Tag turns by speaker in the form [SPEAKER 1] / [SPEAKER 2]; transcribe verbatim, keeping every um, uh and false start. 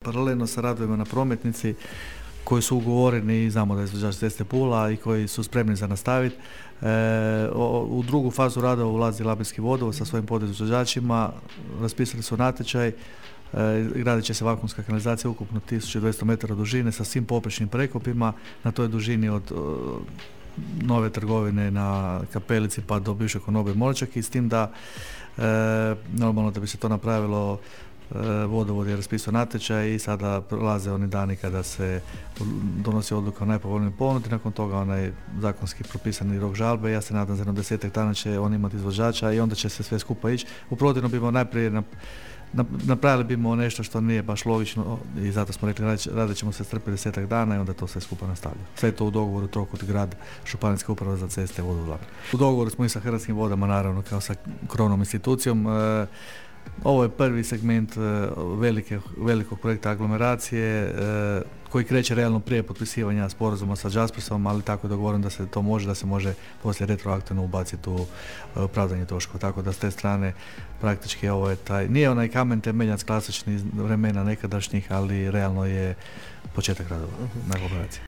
[SPEAKER 1] Paralelno sa radovima na prometnici koji su ugovoreni i znamo da je izvođač Ceste Pula i koji su spremni za nastaviti. E, u drugu fazu radova ulazi Labinski vodovod sa svojim podizvođačima, raspisali su natječaj, e, gradit će se vakuumska kanalizacija ukupno tisuću dvjesto metara dužine sa svim poprečnim prekopima na toj dužini od o, Nove Trgovine na Kapelici pa do bivše Konobe Molčak, i s tim da e, normalno da bi se to napravilo, vodovod je raspisao natječaj i sada prolaze oni dani kada se donosi odluka o najpovoljnijoj ponudi, nakon toga onaj zakonski propisani rok žalbe. Ja se nadam za jedno desetak dana će on imati izvođača i onda će se sve skupa ići. U protivno bimo najprije na, na, napravili bimo nešto što nije baš logično i zato smo rekli radit ćemo se strpiti desetak dana i onda to sve skupa nastavlja. Sve to u dogovoru Trokut grad, Županijska uprava za ceste, vodovod. U dogovoru smo i sa Hrvatskim vodama, naravno kao sa krovnom institucijom. E, Ovo je prvi segment velike, velikog projekta aglomeracije koji kreće realno prije potpisivanja sporazuma sa Jaspersom, ali tako je dogovoreno da se to može, da se može poslije retroaktivno ubaciti u opravdanje troškova. Tako da s te strane praktički ovo je taj, nije onaj kamen temeljac klasičnih vremena nekadašnjih, ali realno je početak radova na aglomeraciji.